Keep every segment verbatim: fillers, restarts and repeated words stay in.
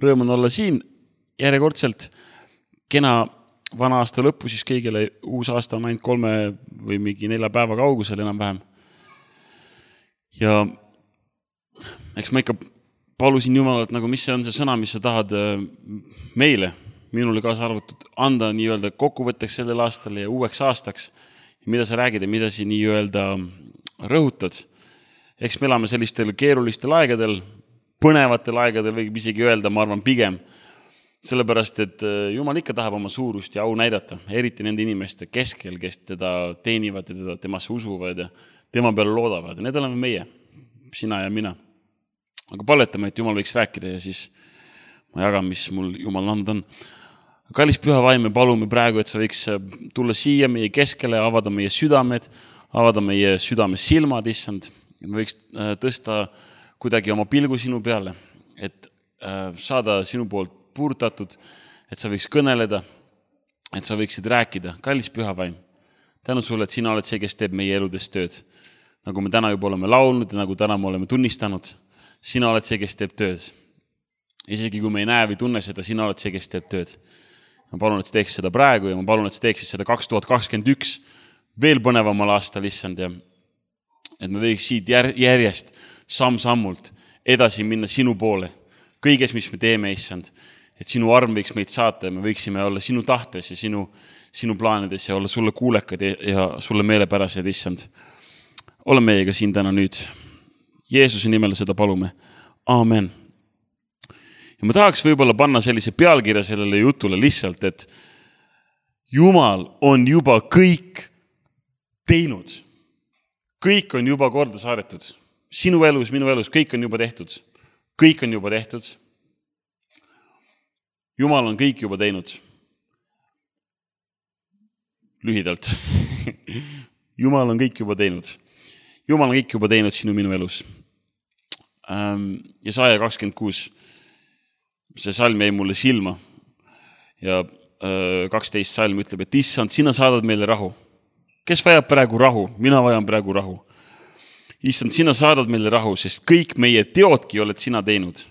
Rõõm on olla siin järjekordselt. Kena vana aasta lõppu, siis kõigile uus aasta on ainult kolme või mingi nelja päeva kaugusel enam-vähem. Ja eks ma ikka palusin Jumalalt, nagu mis see on see sõna, mis sa tahad meile, minule kaasa arvatud, anda nii-öelda kokkuvõtteks sellel aastal ja uueks aastaks. Ja mida sa räägid ja mida sa nii-öelda rõhutad. Eks me elame sellistel keerulistel aegadel, põnevatel aegadel võib isegi öelda, ma arvan pigem, sellepärast, et Jumal ikka tahab oma suurust ja au näidata, eriti nende inimeste keskel, kes teda teenivad ja teda temasse usuvad ja tema peale loodavad. Need oleme meie, sina ja mina. Aga palvetame, et Jumal võiks rääkida ja siis ma jagan, mis mul Jumal anda on. Kallis püha vaim, me palume praegu, et sa võiks tulla siia meie keskele, avada meie südamed, avada meie südame silmad, issand. Me võiks tõsta kuidagi oma pilgu sinu peale, et saada sinu poolt puurtatud, et sa võiks kõneleda, et sa võiksid rääkida. Kallis püha vaim, tänu sulle, et sina oled see, kes teeb meie eludes tööd. Nagu me täna juba oleme laulnud ja nagu täna me oleme tunnistanud, sina oled see, kes teeb tööd. Isegi kui me ei näe või tunne seda, sina oled see, kes teeb tööd. Ma palun, et sa teeksid seda praegu ja ma palun, et sa teeksid seda kaks tuhat kakskümmend üks veel põnevamal aastal, issand, ja et me võiks siit järjest samm-sammult edasi minna sinu poole. Kõiges, mis me teeme, issand, et sinu arm võiks meid saata ja me võiksime olla sinu tahtes ja sinu, sinu plaanides ja olla sulle kuulekad ja sulle meelepärased, issand. Ole meiega siin täna nüüd. Jeesuse nimel seda palume. Aamen. Ja ma tahaks võib-olla panna sellise pealkirja sellele jutule lihtsalt, et Jumal on juba kõik teinud. Kõik on juba korda saadetud. Sinu elus, minu elus, kõik on juba tehtud. Kõik on juba tehtud. Jumal on kõik juba teinud. Lühidalt. Jumal on kõik juba teinud. Jumal on kõik juba teinud sinu minu elus. Jesaja kakskümmend kuus. See salm jäi mulle silma. Ja kaksteist salm ütleb, et issand, sina saadad meile rahu. Kes vajab praegu rahu? Mina vajan praegu rahu. Issand, sina saadad meile rahu, sest kõik meie teodki oled sina teinud.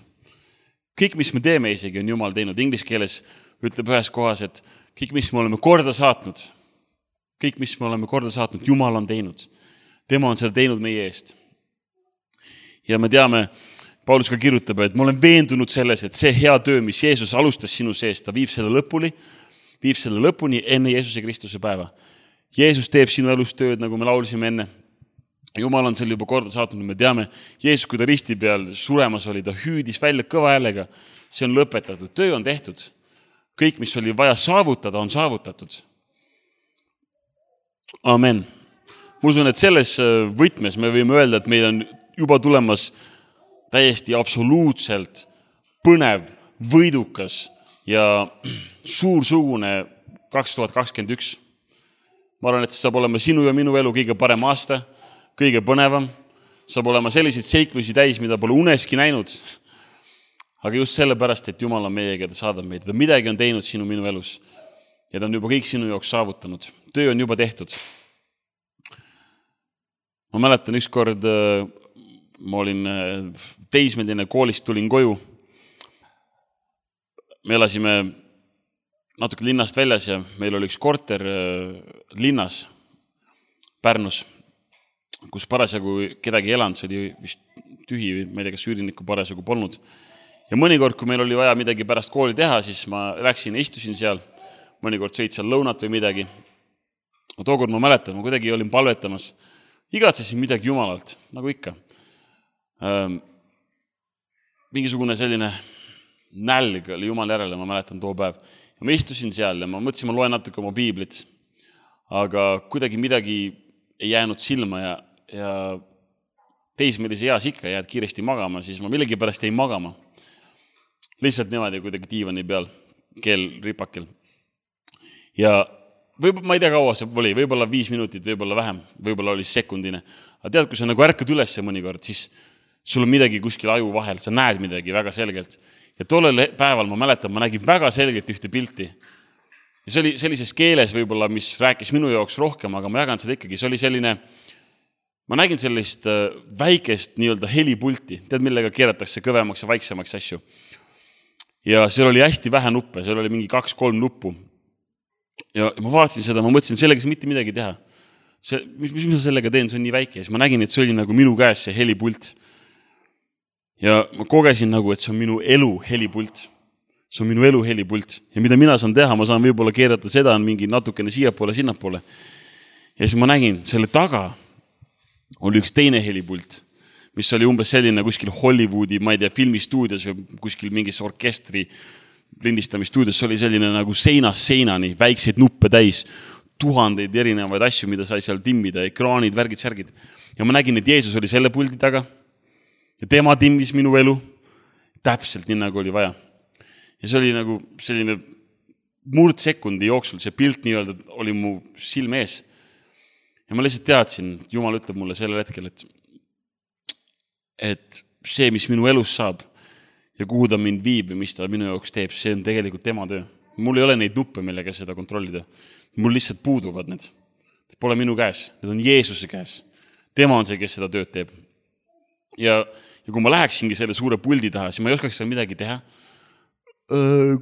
Kõik, mis me teeme isegi, on Jumal teinud. Inglis keeles ütleb ühes kohas, et kõik, mis me oleme korda saatnud, kõik, mis me oleme korda saatnud, Jumal on teinud. Tema on seda teinud meie eest. Ja me teame, Paulus ka kirjutab, et ma olen veendunud selles, et see hea töö, mis Jeesus alustas sinu seest, ta viib selle lõpuni, viib selle lõpuni enne Jeesuse Kristuse päeva. Jeesus teeb sinu elus tööd, nagu me laulisime enne. Jumal on selle juba korda saatnud, me teame, Jeesus, kui ta risti peal suremas oli, ta hüüdis välja kõva häälega. See on lõpetatud, töö on tehtud. Kõik, mis oli vaja saavutada, on saavutatud. Amen. Ma usun, et selles võtmes me võime öelda, et meil on juba tulemas täiesti absoluutselt põnev, võidukas ja suursugune kaks tuhat kakskümmend üks. Ma arvan, et see saab olema sinu ja minu elu kõige parem aasta, kõige põnevam. Saab olema selliseid seiklusi täis, mida pole uneski näinud. Aga just sellepärast, et Jumal on meiega, ta saadab meid. Ta midagi on teinud sinu minu elus. Ja ta on juba kõik sinu jaoks saavutanud. Töö on juba tehtud. Ma mäletan üks kord, ma olin teismeline, koolist tulin koju. Me elasime natuke linnast väljas ja meil oli üks korter linnas Pärnus, kus parasjagu kedagi elanud, see oli vist tühi, ma ei tea, kas üürinikku parasjagu polnud. Ja mõnikord, kui meil oli vaja midagi pärast kooli teha, siis ma läksin ja istusin seal, mõnikord sõid seal lõunat või midagi. Tookord ma mäletan, ma kuidagi olin palvetamas, igatsesin midagi Jumalalt, nagu ikka. Ähm, mingisugune selline nälg oli Jumal järele, ma mäletan too päev. Ja ma istusin seal ja ma mõtlesin, ma loen natuke oma piiblit, aga kuidagi midagi ei jäänud silma ja, ja teismelise eas ikka jääd kiiresti magama, siis ma millegi pärast ei magama. Lihtsalt niimoodi kuidagi diivani peal, keel ripakel. Ja võib, ma ei tea kaua see oli, võib-olla viis minutit, võib-olla vähem, võib-olla oli sekundine. Aga tead, kui sa nagu ärkad üles mõnikord, siis sul on midagi kuskil aju vahel, sa näed midagi väga selgelt. Ja tollel päeval ma mäletan, ma nägin väga selgelt ühte pilti. Ja see oli sellises keeles võib-olla, mis rääkis minu jaoks rohkem, aga ma jagan seda ikkagi. See oli selline, ma nägin sellist väikest nii-öelda helipulti, tead millega keeratakse kõvemaks ja vaiksemaks asju. ja seal oli hästi vähe nuppe, seal oli mingi kaks-kolm nuppu. Ja ma vaatasin seda, ma mõtlesin, sellega mitte midagi teha. See, mis, mis ma sellega teen, see on nii väike. Ja siis ma nägin, et see oli nagu minu käes see helipult. Ja ma kogesin nagu, et see on minu elu helipult. See on minu elu helipult. Ja mida mina saan teha, ma saan võib-olla keerata seda on mingi natukene siiapoole, sinnapoole. Ja siis ma nägin, selle taga oli üks teine helipult, mis oli umbes selline kuskil Hollywoodi, ma ei tea, filmistuudios või kuskil mingis orkestri lindistamistuudios oli selline nagu seinas seinani, väikseid nuppe täis, tuhandeid erinevaid asju, mida sai seal timmida, ekraanid, värgid, särgid. Ja ma nägin, et Jeesus oli selle puldi taga ja tema timmis minu elu täpselt nii, nagu oli vaja. Ja see oli nagu selline murdsekundi jooksul, see pilt nii-öelda oli mu silme ees. Ja ma lihtsalt teadsin, et Jumal ütleb mulle sellel hetkel, et, et see, mis minu elus saab ja kuhu ta mind viib või mis ta minu jaoks teeb, see on tegelikult tema töö. Mul ei ole neid nuppe, millega seda kontrollida. Mul lihtsalt puuduvad need. Pole minu käes, need on Jeesuse käes. Tema on see, kes seda tööd teeb. Ja, ja kui ma läheksingi selle suure puldi taha, siis ma ei oskaks seal midagi teha.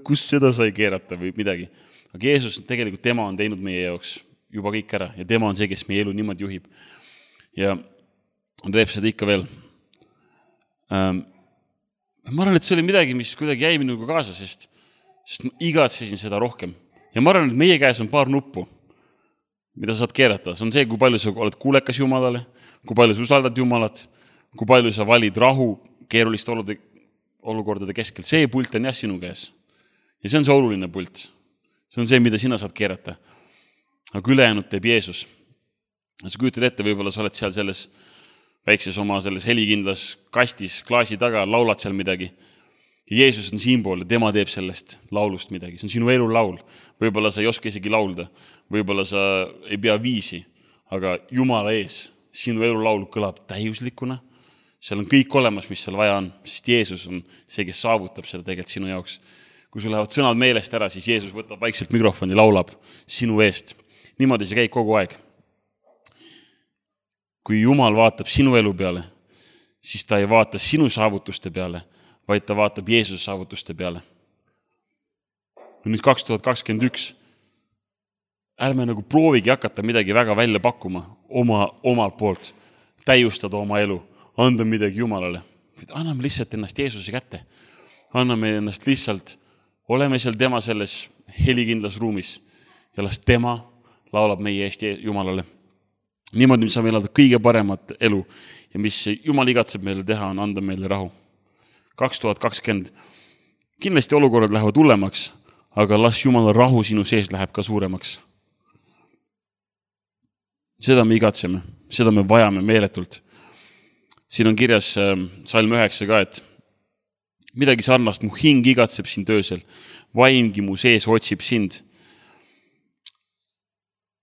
Kus seda sai keerata või midagi. Aga Jeesus tegelikult tema on teinud meie jaoks juba kõik ära ja tema on see, kes meie elu niimoodi juhib. Ja ta teeb seda ikka veel. Ähm, ma arvan, et see oli midagi, mis kuidagi jäi minuga kaasa, sest, sest ma igatsesin seda rohkem. Ja ma arvan, et meie käes on paar nuppu, mida saad keerata. See on see, kui palju sa oled kuulekas Jumalale, kui palju sa usaldad Jumalat, kui palju sa valid rahu keeruliste olukordade keskel. See pult on jah sinu käes. Ja see on see oluline pult. See on see, mida sina saad keerata. Aga ülejäänud teeb Jeesus. Sa kujutad ette, võib-olla sa oled seal selles väikses oma selles helikindlas kastis, klaasi taga, laulad seal midagi. Ja Jeesus on siinpool ja tema teeb sellest laulust midagi. See on sinu elu laul. Võib-olla sa ei oska isegi laulda. Võib-olla sa ei pea viisi. Aga Jumala ees, sinu elu laul kõlab täiuslikuna. Seal on kõik olemas, mis seal vaja on. Sest Jeesus on see, kes saavutab seda tegelikult sinu jaoks. Kui sul lähevad sõnad meelest ära, siis Jeesus võtab vaikselt mikrofoni, laulab sinu eest. Niimoodi see käib kogu aeg. Kui Jumal vaatab sinu elu peale, siis ta ei vaata sinu saavutuste peale, vaid ta vaatab Jeesuse saavutuste peale. Nüüd kaks tuhat kakskümmend üks ärme nagu proovigi hakata midagi väga välja pakkuma oma, omalt poolt, täiustada oma elu, anda midagi Jumalale. Anname lihtsalt ennast Jeesuse kätte. Anname ennast lihtsalt, oleme seal tema selles helikindlas ruumis ja las tema laulab meie eest Jumalale. Niimoodi, mis saame elada kõige paremat elu ja mis Jumal igatseb meile teha, on anda meile rahu. kaks tuhat kakskümmend kindlasti olukorrad lähevad hullemaks, aga las Jumala rahu sinu sees läheb ka suuremaks. Seda me igatseme, seda me vajame meeletult. Siin on kirjas salm üheksa ka, et midagi sarnast, mu hing igatseb sind öösel, vaimgi mu sees otsib sind.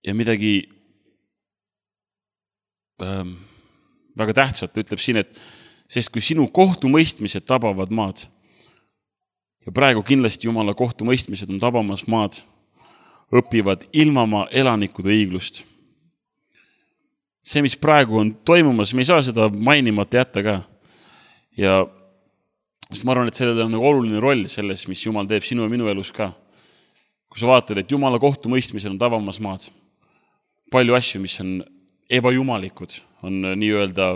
Ja midagi ähm, väga tähtsalt ütleb siin, et sest kui sinu kohtumõistmised tabavad maad, ja praegu kindlasti Jumala kohtumõistmised on tabamas maad, õpivad ilmamaa elanikud õiglust. See, mis praegu on toimumas, me ei saa seda mainimata jätta ka. Ja sest ma arvan, et sellel on oluline roll selles, mis Jumal teeb sinu ja minu elus ka. Kui sa vaatad, et Jumala kohtumõistmisel on tabamas maad, palju asju, mis on ebajumalikud, on nii-öelda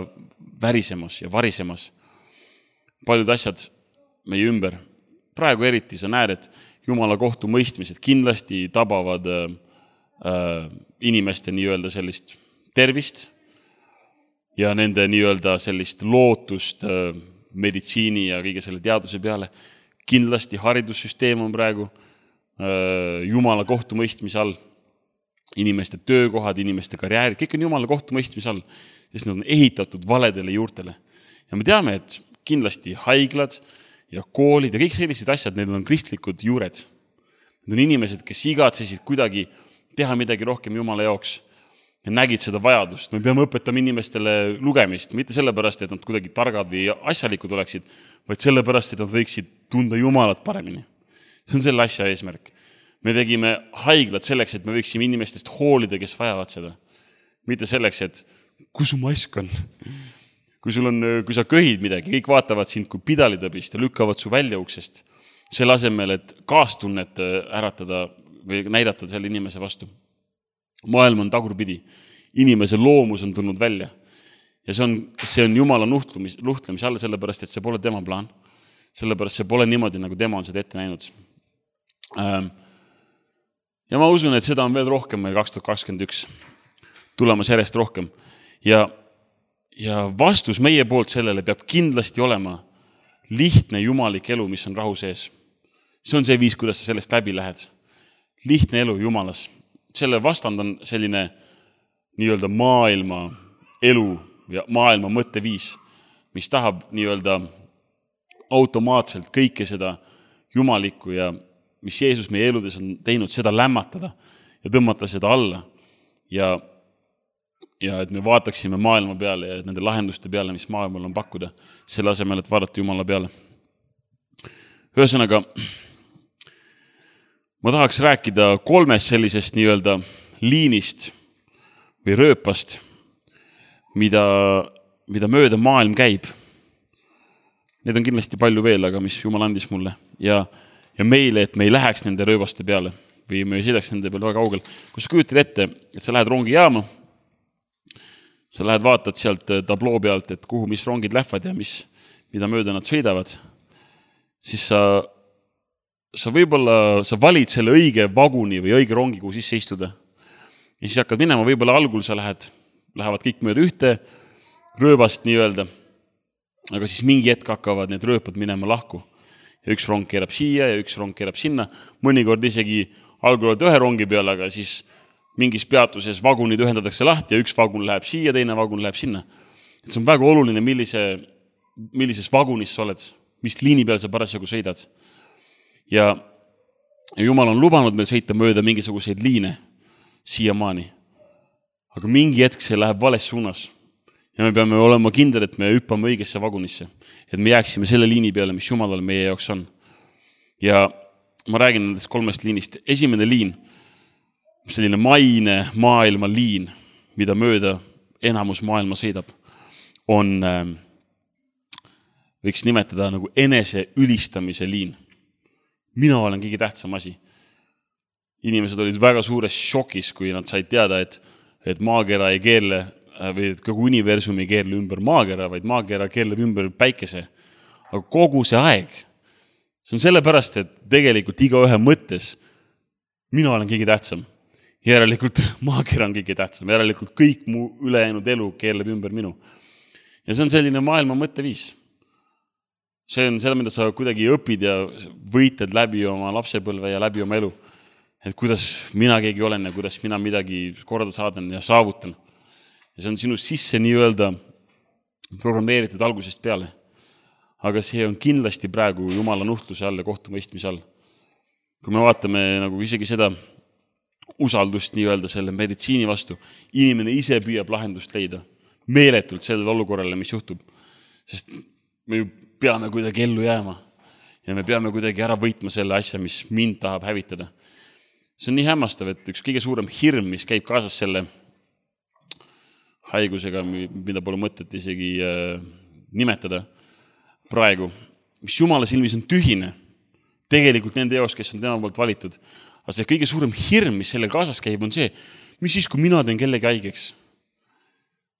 värisemas ja varisemas. Paljud asjad meie ümber. Praegu eriti sa näed, et Jumala kohtumõistmised kindlasti tabavad äh, äh, inimeste nii-öelda sellist tervist ja nende nii-öelda sellist lootust äh, meditsiini ja kõige selle teaduse peale. Kindlasti haridussüsteem on praegu äh, Jumala kohtumõistmise all. Inimeste töökohad, inimeste karjäärid, kõik on Jumala kohtumõistmise all, sest nad on ehitatud valedele juurtele. Ja me teame, et kindlasti haiglad ja koolid ja kõik sellised asjad, need on kristlikud juured. Need on inimesed, kes igatsesid kuidagi teha midagi rohkem Jumala jaoks ja nägid seda vajadust. Me peame õpetama inimestele lugemist, mitte sellepärast, et nad kuidagi targad või asjalikud oleksid, vaid sellepärast, et nad võiksid tunda Jumalat paremini. See on selle asja eesmärk. Me tegime haiglad selleks, et me võiksime inimestest hoolida, kes vajavad seda. Mitte selleks, et kus su mask on? Kui, sul on, kui sa köhid midagi, kõik vaatavad sind kui pidalitõbist ja lükkavad su välja uksest. selle asemel, et kaastunnet äratada või näidata selle inimese vastu. Maailm on tagurpidi. Inimese loomus on tulnud välja. Ja see on, see on Jumala nuhtlemis, nuhtlemise all, sellepärast, et see pole tema plaan. Sellepärast see pole niimoodi, nagu tema on seda ette näinud. Ja ma usun, et seda on veel rohkem meil kaks tuhat kakskümmend üks tulemas järjest rohkem. Ja, ja vastus meie poolt sellele peab kindlasti olema lihtne jumalik elu, mis on rahu sees. See on see viis, kuidas sa sellest läbi lähed. Lihtne elu Jumalas. Selle vastand on selline nii-öelda maailma elu ja maailma mõtteviis, mis tahab nii-öelda automaatselt kõike seda jumalikku ja mis Jeesus meie eludes on teinud, seda lämmatada ja tõmmata seda alla. Ja, ja et me vaataksime maailma peale ja nende lahenduste peale, mis maailmal on pakkuda, selle asemel, et vaadata Jumala peale. Ühesõnaga, ma tahaks rääkida kolmest sellisest nii-öelda liinist või rööpast, mida, mida mööda maailm käib. Need on kindlasti palju veel, aga mis Jumal andis mulle. Ja, ja meile, et me ei läheks nende rööbaste peale või me ei sõidaks nende peale väga kaugel. Kui sa kujutad ette, et sa lähed rongi jaama, sa lähed vaatad sealt tabloo pealt, et kuhu mis rongid lähevad ja mis, mida mööda nad sõidavad, siis sa sa võib-olla, sa valid selle õige vaguni või õige rongi, kuhu sisse istuda. Ja siis hakkad minema, võib-olla algul sa lähed, lähevad kõik mööda ühte rööbast nii-öelda, aga siis mingi hetk hakkavad need rööpad minema lahku. Ja üks rong keerab siia ja üks rong keerab sinna. Mõnikord isegi algul oled ühe rongi peal, aga siis mingis peatuses vagunid ühendatakse lahti ja üks vagun läheb siia, teine vagun läheb sinna. Et see on väga oluline, millise, millises vagunis sa oled, mis liini peal sa parasjagu sõidad. Ja Jumal on lubanud meil sõita mööda mingisuguseid liine siiamaani. Aga mingi hetk see läheb vales suunas. Ja me peame olema kindel, et me hüppame õigesse vagunisse. Et me jääksime selle liini peale, mis Jumalal meie jaoks on. Ja ma räägin nendest kolmest liinist. Esimene liin, selline maine maailma liin, mida mööda enamus maailma sõidab, on, võiks nimetada nagu enese ülistamise liin. Mina olen kõige tähtsam asi. Inimesed olid väga suures šokis, kui nad said teada, et, et maakera ei keerle, või et kogu universum ei keerle ümber maakera, vaid maakera keerleb ümber päikese. Aga kogu see aeg, see on sellepärast, et tegelikult iga ühe mõttes mina olen kõige tähtsam. Järelikult maakera on kõige tähtsam. Järelikult kõik mu ülejäänud elu keerleb ümber minu. Ja see on selline maailma mõtteviis. See on seda, mida sa kuidagi õpid ja võitled läbi oma lapsepõlve ja läbi oma elu. Et kuidas mina keegi olen ja kuidas mina midagi korda saadan ja saavutan. Ja see on sinu sisse nii-öelda programmeeritud algusest peale. Aga see on kindlasti praegu Jumala nuhtluse all ja kohtumõistmise all. Kui me vaatame nagu isegi seda usaldust nii-öelda selle meditsiini vastu, inimene ise püüab lahendust leida meeletult sellele olukorrale, mis juhtub. Sest me ju peame kuidagi ellu jääma ja me peame kuidagi ära võitma selle asja, mis mind tahab hävitada. See on nii hämmastav, et üks kõige suurem hirm, mis käib kaasas selle haigusega, mida pole mõtet isegi äh, nimetada praegu, mis Jumala silmis on tühine, tegelikult nende jaoks, kes on tema poolt valitud. Aga see kõige suurem hirm, mis selle kaasas käib, on see, mis siis, kui mina teen kellegi haigeks?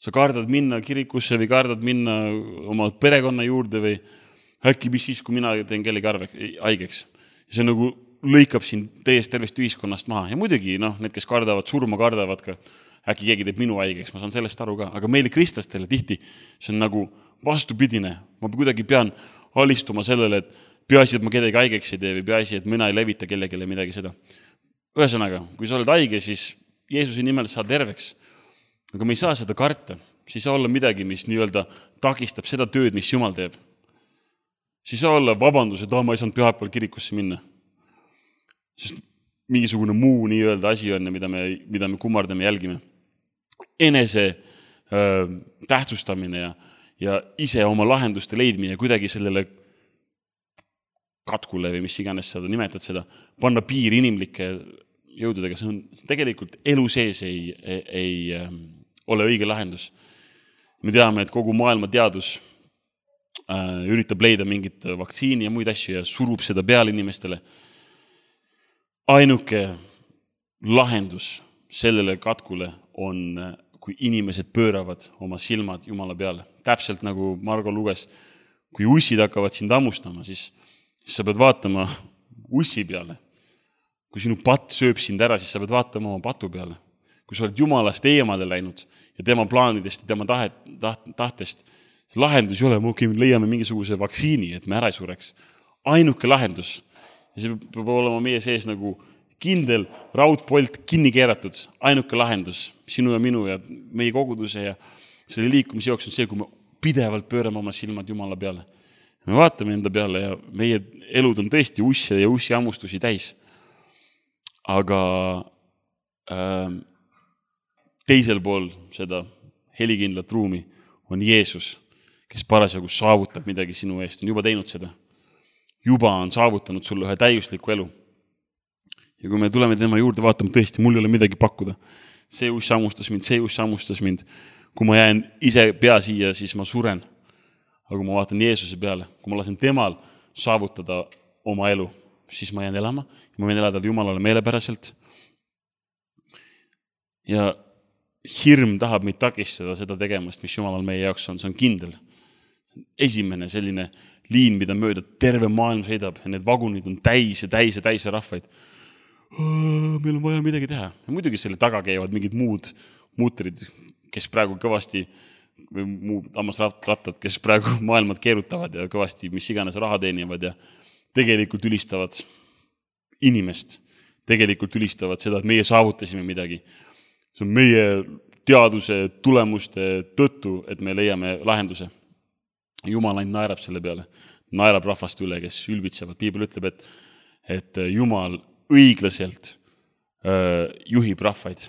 Sa kardad minna kirikusse või kardad minna oma perekonna juurde või äkki mis siis, kui mina teen kellegi haigeks. See nagu lõikab siin täiesti tervest ühiskonnast maha. Ja muidugi, noh, need, kes kardavad, surma kardavad ka, äkki keegi teeb minu haigeks, ma saan sellest aru ka. Aga meile kristlastele tihti see on nagu vastupidine. Ma kuidagi pean alistuma sellele, et peaasi, et ma kedagi haigeks ei tee või peaasi, et mina ei levita kellegile midagi seda. Ühesõnaga, kui sa oled haige, siis Jeesuse nimel saad terveks. Aga me ei saa seda karta. Siis saa olla midagi, mis nii-öelda takistab seda tööd, mis Jumal teeb. Siis saa olla vabandus, et oh, ma ei saanud pühapäeval kirikusse minna. Sest mingisugune muu nii-öelda asi on, mida me, mida me kummardame jälgime. Enese äh, tähtsustamine ja, ja ise oma lahenduste leidmine ja kuidagi sellele katkule või mis iganes seda nimetad seda, panna piir inimlike jõududega. See on see tegelikult elu sees ei, ei, ei äh, ole õige lahendus. Me teame, et kogu maailma teadus üritab leida mingit vaktsiini ja muid asju ja surub seda peale inimestele. Ainuke lahendus sellele katkule on, kui inimesed pööravad oma silmad Jumala peale. Täpselt nagu Margo luges, kui ussid hakkavad sind hammustama, siis, siis sa pead vaatama ussi peale. Kui sinu patt sööb sind ära, siis sa pead vaatama oma patu peale. Kui sa oled Jumalast eemale läinud ja tema plaanidest ja tema tahet, taht, tahtest, lahendus ei ole, me leiame mingisuguse vaktsiini, et me ära ei sureks. Ainuke lahendus. Ja see peab olema meie sees nagu kindel raudpolt kinni keeratud. Ainuke lahendus sinu ja minu ja meie koguduse ja selle liikumise jooks on see, kui me pidevalt pöörame oma silmad Jumala peale. Me vaatame enda peale ja meie elud on tõesti usse ja ussi ammustusi täis. Aga äh, teisel pool seda helikindlat ruumi on Jeesus, kes parasjagu saavutab midagi sinu eest, on juba teinud seda. Juba on saavutanud sulle ühe täiusliku elu. Ja kui me tuleme tema juurde vaatama, tõesti, mul ei ole midagi pakkuda. See uss ammustas mind, see uss ammustas mind. Kui ma jään ise pea siia, siis ma suren. Aga kui ma vaatan Jeesuse peale, kui ma lasen temal saavutada oma elu, siis ma jään elama ja ma võin elada Jumalale meelepäraselt. Ja hirm tahab meid takistada seda tegemast, mis Jumalal meie jaoks on, see on kindel. Esimene selline liin, mida mööda terve maailm sõidab ja need vagunid on täis ja täis ja täis ja rahvaid. Meil on vaja midagi teha. Ja muidugi selle taga käivad mingid muud muutrid, kes praegu kõvasti, või muud ammasrattad, kes praegu maailmad keerutavad ja kõvasti mis iganes raha teenivad ja tegelikult ülistavad inimest. Tegelikult ülistavad seda, et meie saavutasime midagi. See on meie teaduse tulemuste tõttu, et me leiame lahenduse. Jumal ainult naerab selle peale. Naerab rahvast üle, kes ülbitsevad. Piibel ütleb, et, et Jumal õiglaselt äh, juhib rahvaid.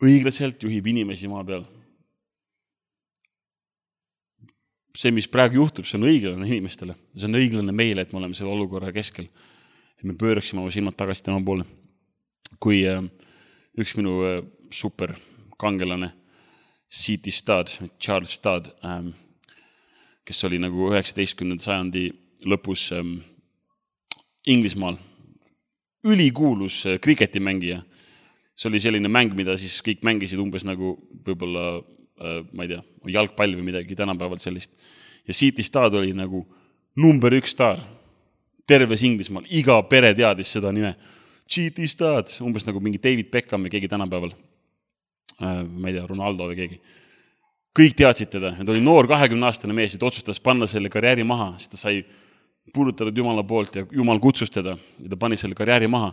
Õiglaselt juhib inimesi maa peal. See, mis praegu juhtub, see on õiglane inimestele. See on õiglane meile, et me oleme selle olukorra keskel. Et me pööraksime oma silmad tagasi tema poole. Kui äh, üks minu äh, super kangelane, C T Studd, Charles Studd, äh, kes oli nagu üheksateistkümnenda sajandi lõpus ähm, Inglismaal. Ülikuulus äh, kriketimängija. See oli selline mäng, mida siis kõik mängisid umbes nagu võib-olla, äh, ma ei tea, jalgpall või midagi tänapäeval sellist. Ja C T Studd oli nagu number üks staar. Terves Inglismaal. Iga pere teadis seda nime. C T Studd, umbes nagu mingi David Beckham või keegi tänapäeval. Äh, ma ei tea, Ronaldo või keegi. Kõik teadsid teda. Ta oli noor kahekümne aastane mees, et otsustas panna selle karjääri maha, sest ta sai puudutatud Jumala poolt ja Jumal kutsus teda ja ta pani selle karjääri maha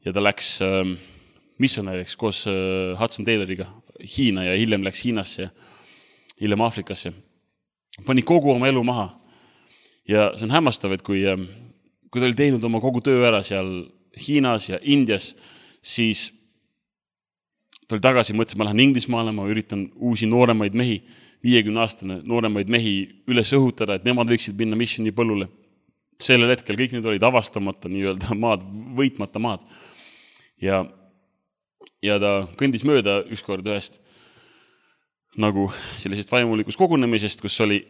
ja ta läks äh, missionäriks koos äh, Hudson Tayloriga Hiina ja hiljem läks Hiinasse ja hiljem Aafrikasse. Pani kogu oma elu maha ja see on hämmastav, et kui, äh, kui ta oli teinud oma kogu töö ära seal Hiinas ja Indias, siis ta oli tagasi, mõtlesin, ma lähen Inglismaale, ma üritan uusi nooremaid mehi, viiekümne aastane nooremaid mehi üles õhutada, et nemad võiksid minna missioni põllule. Sellel hetkel kõik need olid avastamata nii-öelda maad, võitmata maad. Ja, ja ta kõndis mööda ükskord ühest nagu sellisest vaimulikus kogunemisest, kus oli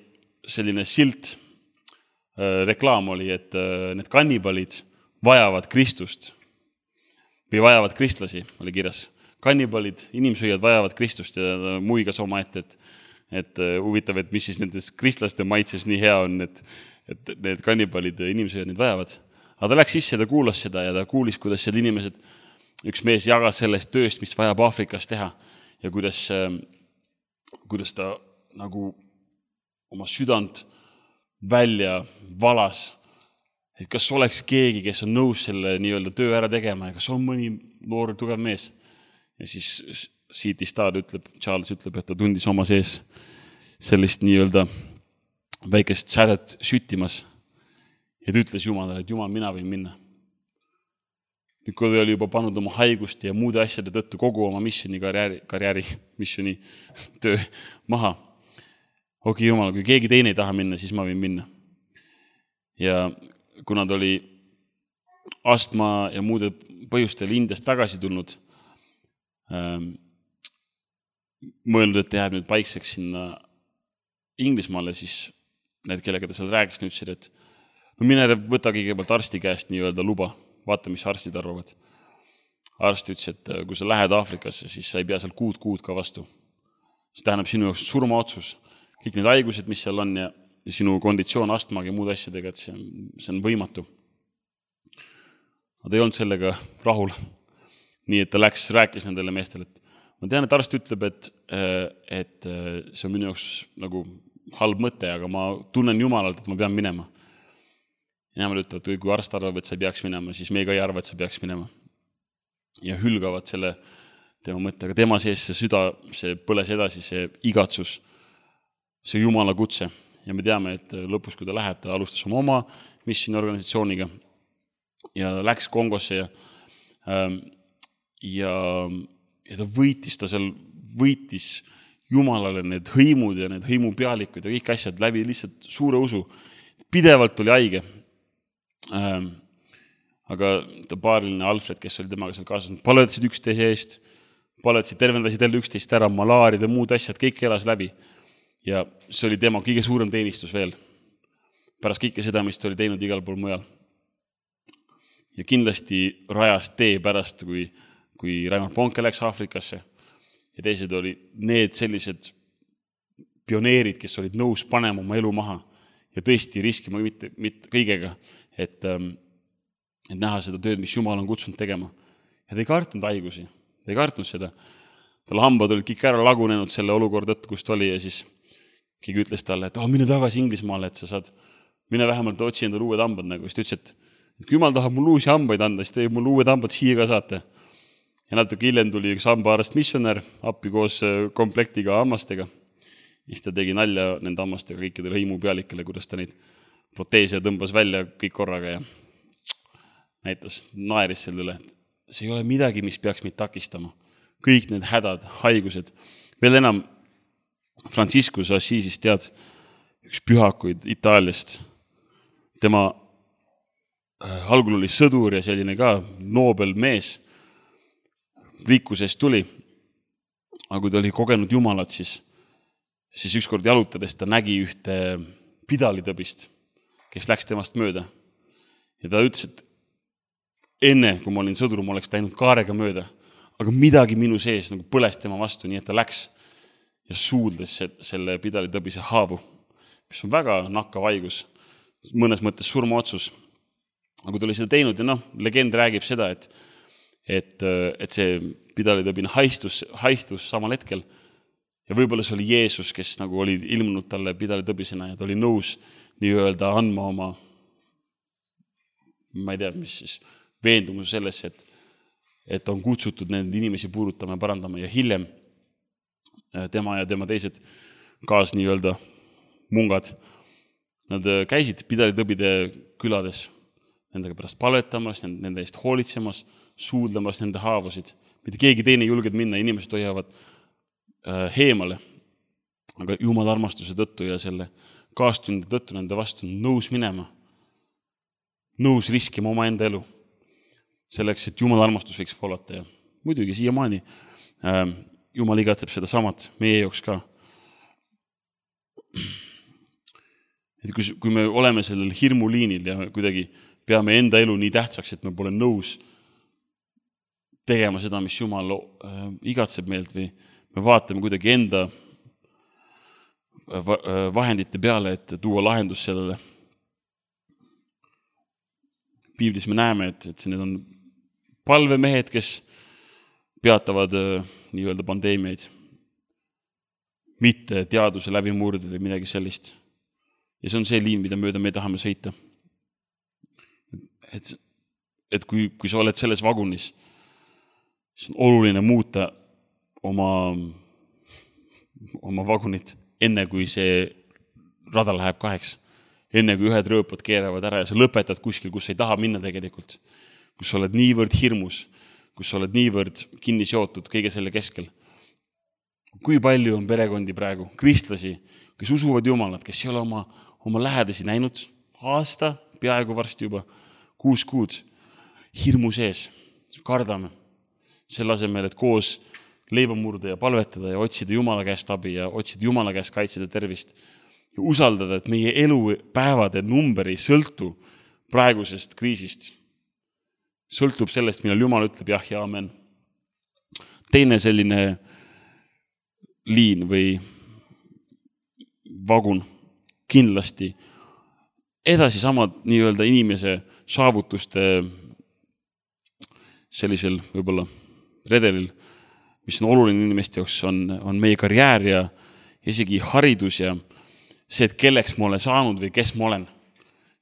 selline silt, äh, reklaam oli, et äh, need kannibalid vajavad Kristust või vajavad kristlasi, oli kirjas. Kannibalid, inimsööjad vajavad Kristust ja muigas oma ette, et, et huvitav, et mis siis nendes kristlaste maitses nii hea on, et, et need kannibalid, inimsööjad neid vajavad. Aga ta läks sisse, ta kuulas seda ja ta kuulis, kuidas seal inimesed, üks mees jagas sellest tööst, mis vajab Aafrikas teha ja kuidas, kuidas ta nagu oma südant välja valas, et kas oleks keegi, kes on nõus selle nii-öelda töö ära tegema ja kas on mõni noor tugev mees. Ja siis C T Studd ütleb, Charles ütleb, et ta tundis oma sees sellist nii-öelda väikest sädet süttimas. Ja ta ütles Jumalale, et Jumal, mina võin minna. Nüüd, kui ta oli juba pannud oma haigust ja muude asjade tõttu kogu oma missioni karjääri, karjääri missioni töö maha. Okei, Jumal, kui keegi teine ei taha minna, siis ma võin minna. Ja kuna ta oli astma ja muude põhjustel Indiast tagasi tulnud, mõelnud, et jääb nüüd paikseks sinna Inglismaale, siis need, kellega ta seal rääkis, ütlesid, et no mine võta kõigepealt arsti käest nii-öelda luba, vaata, mis arstid arvavad. Arst ütles, et kui sa lähed Aafrikasse, siis sa ei pea seal kuud kuud ka vastu. See tähendab sinu jaoks surmaotsus. Kõik need haigused, mis seal on ja, ja sinu konditsioon astmaga ja muud asjadega, et see on, see on võimatu. Nad ei olnud sellega rahul. Nii, et ta läks, rääkis nendele meestele, et ma tean, et arst ütleb, et, et see on minu jaoks nagu halb mõte, aga ma tunnen jumalalt, et ma pean minema. Ja nemad ütlevad, kui arst arvab, et sa ei peaks minema, siis me ka ei arva, et sa peaks minema. Ja hülgavad selle tema mõtte, aga tema sees see süda, see põles edasi, see igatsus, see jumala kutse. Ja me teame, et lõpus, kui ta läheb, ta alustas oma oma missioniorganisatsiooniga ja läks Kongosse ja, ja, ja ta võitis, ta seal võitis jumalale need hõimud ja need hõimupealikud ja kõik asjad läbi lihtsalt suure usu. Pidevalt oli haige. Aga ta paariline Alfred, kes oli temaga seal kaasas, paletasid üksteise eest, paletasid, tervendasid jälle üksteist ära, malaarid ja muud asjad, kõik elas läbi. Ja see oli tema kõige suurem teenistus veel. Pärast kõike seda, mis ta oli teinud igal pool mujal. Ja kindlasti rajas tee pärast, kui, kui Raimar Ponke läks Aafrikasse. Ja teised oli need sellised pioneerid, kes olid nõus panema oma elu maha ja tõesti riskima mitte, mitte kõigega, et et näha seda tööd, mis Jumal on kutsunud tegema. Ja ta ei kartnud haigusi, ta ei kartnud seda. Tal hambad olid kõik ära lagunenud selle olukord tõttu, kus ta oli ja siis keegi ütles talle, et oh, mine tagasi Inglismaale, et sa saad, mine vähemalt otsi endale uued hambad. Nagu. Siis ta ütles, et, et kui Jumal tahab mul uusi hambaid anda, siis teeb mul uued hambad siia ka saate. Ja natuke hiljem tuli üks hambaarst missionär appi koos komplektiga hammastega. Siis ta tegi nalja nende hammastega kõikidele hõimupealikele, kuidas ta neid proteese tõmbas välja kõik korraga ja näitas, naeris selle üle, et see ei ole midagi, mis peaks meid takistama. Kõik need hädad, haigused. Veel enam Franciscus Assisist tead üks pühakuid Itaaliast. Tema äh, algul oli sõdur ja selline ka noobel mees. Rikkusest tuli. Aga kui ta oli kogenud Jumalat, siis, siis ükskord jalutades ta nägi ühte pidalitõbist, kes läks temast mööda. Ja ta ütles, et enne, kui ma olin sõdur, ma oleks läinud kaarega mööda, aga midagi minu sees nagu põles tema vastu, nii et ta läks ja suuldes selle pidalitõbise haavu, mis on väga nakkav haigus, mõnes mõttes surmaotsus. Aga kui ta oli seda teinud ja noh, legend räägib seda, et, et, et see pidalitõbine haistus, haistus samal hetkel ja võib-olla see oli Jeesus, kes nagu oli ilmunud talle pidalitõbisena ja ta oli nõus nii-öelda andma oma, ma ei tea, mis siis, veendumus sellesse, et, et on kutsutud nende inimesi puudutama ja parandama ja hiljem tema ja tema teised kaas nii-öelda mungad. Nad käisid pidalitõbide külades nendega pärast paletamas, nende eest hoolitsemas, suudlemas nende haavasid. Mitte keegi teine ei julged minna, inimesed hoiavad heemale. Aga Jumala armastuse tõttu ja selle kaastunde tõttu nende vastu nõus minema, nõus riskima oma enda elu. Selleks, et Jumala armastus võiks voolata ja muidugi siiamaani äh, Jumal igatseb seda samat meie jaoks ka. Et kui, kui me oleme sellel hirmuliinil ja kuidagi peame enda elu nii tähtsaks, et me pole nõus tegema seda, mis Jumal äh, igatseb meilt või me vaatame kuidagi enda vahendite peale, et tuua lahendus sellele. Piiblis me näeme, et, et need on palvemehed, kes peatavad äh, nii-öelda pandeemiaid, mitte teaduse läbimurdid või midagi sellist. Ja see on see liin, mida mööda me tahame sõita. Et, et kui, kui sa oled selles vagunis, siis on oluline muuta oma, oma vagunit enne, kui see rada läheb kaheks. Enne kui ühed rööpad keeravad ära ja sa lõpetad kuskil, kus ei taha minna tegelikult. Kus sa oled niivõrd hirmus, kus sa oled niivõrd kinni seotud kõige selle keskel. Kui palju on perekondi praegu, kristlasi, kes usuvad Jumalat, kes ei ole oma, oma lähedasi näinud aasta, peaaegu varsti juba, kuus kuud, hirmu sees, kardame. Selle asemel, et koos leiba murda ja palvetada ja otsida Jumala käest abi ja otsida Jumala käest kaitseda tervist ja usaldada, et meie elupäevade number ei sõltu praegusest kriisist. Sõltub sellest, millal Jumal ütleb jah ja amen. Teine selline liin või vagun kindlasti edasi samad nii-öelda inimese saavutuste sellisel võib-olla redelil, mis on oluline inimeste jaoks, on, on meie karjäär ja isegi haridus ja see, et kelleks ma olen saanud või kes ma olen.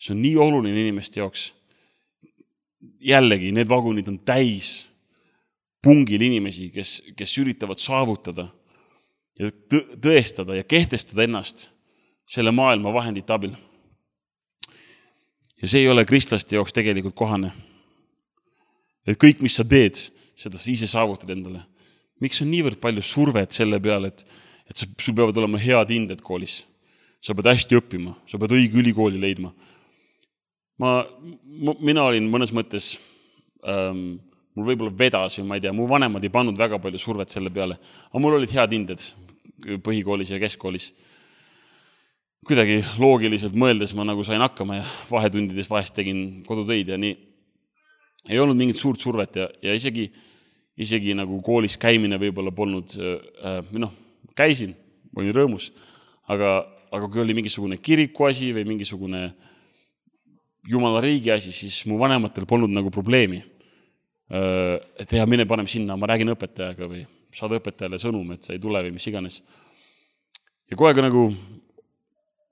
See on nii oluline inimeste jaoks. Jällegi, need vagunid on täis pungil inimesi, kes, kes üritavad saavutada ja tõestada ja kehtestada ennast selle maailma vahendite abil. Ja see ei ole kristlaste jaoks tegelikult kohane. Et kõik, mis sa teed, seda sa ise saavutad endale. Miks on niivõrd palju survet selle peale, et, et sa, sul peavad olema head hinded koolis. Sa pead hästi õppima, sa pead õige ülikooli leidma. Ma, mina olin mõnes mõttes, ähm, mul võib-olla vedas või ma ei tea, mu vanemad ei pannud väga palju survet selle peale, aga mul olid head hinded põhikoolis ja keskkoolis. Kuidagi loogiliselt mõeldes ma nagu sain hakkama ja vahetundides vahest tegin kodutöid ja nii. Ei olnud mingit suurt survet ja, ja isegi, isegi nagu koolis käimine võib-olla polnud, äh, noh, käisin, olin rõõmus, aga, aga kui oli mingisugune kiriku asi või mingisugune Jumala riigi asi, siis mu vanematel polnud nagu probleemi. Et ja mine panem sinna, ma räägin õpetajaga või saad õpetajale sõnum, et sa ei tule või mis iganes. Ja kogu aeg nagu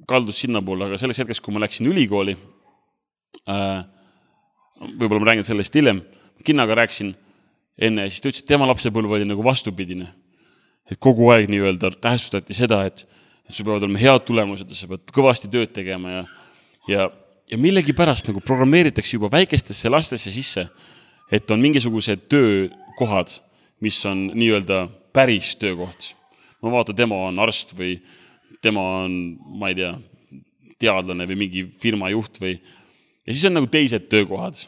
kaldus sinna poole, aga selles hetkes, kui ma läksin ülikooli, võib-olla ma räägin sellest hiljem, kinnaga rääksin enne ja siis ta ütles, et tema lapsepõlv oli nagu vastupidine. Et kogu aeg nii-öelda tähestustati seda, et, et sul peavad olema head tulemused ja sa pead kõvasti tööd tegema ja, ja Ja millegi pärast nagu programmeeritakse juba väikestesse lastesse sisse, et on mingisugused töökohad, mis on nii-öelda päris töökoht. Ma vaatan, tema on arst või tema on, ma ei tea, teadlane või mingi firma juht või... Ja siis on nagu teised töökohad,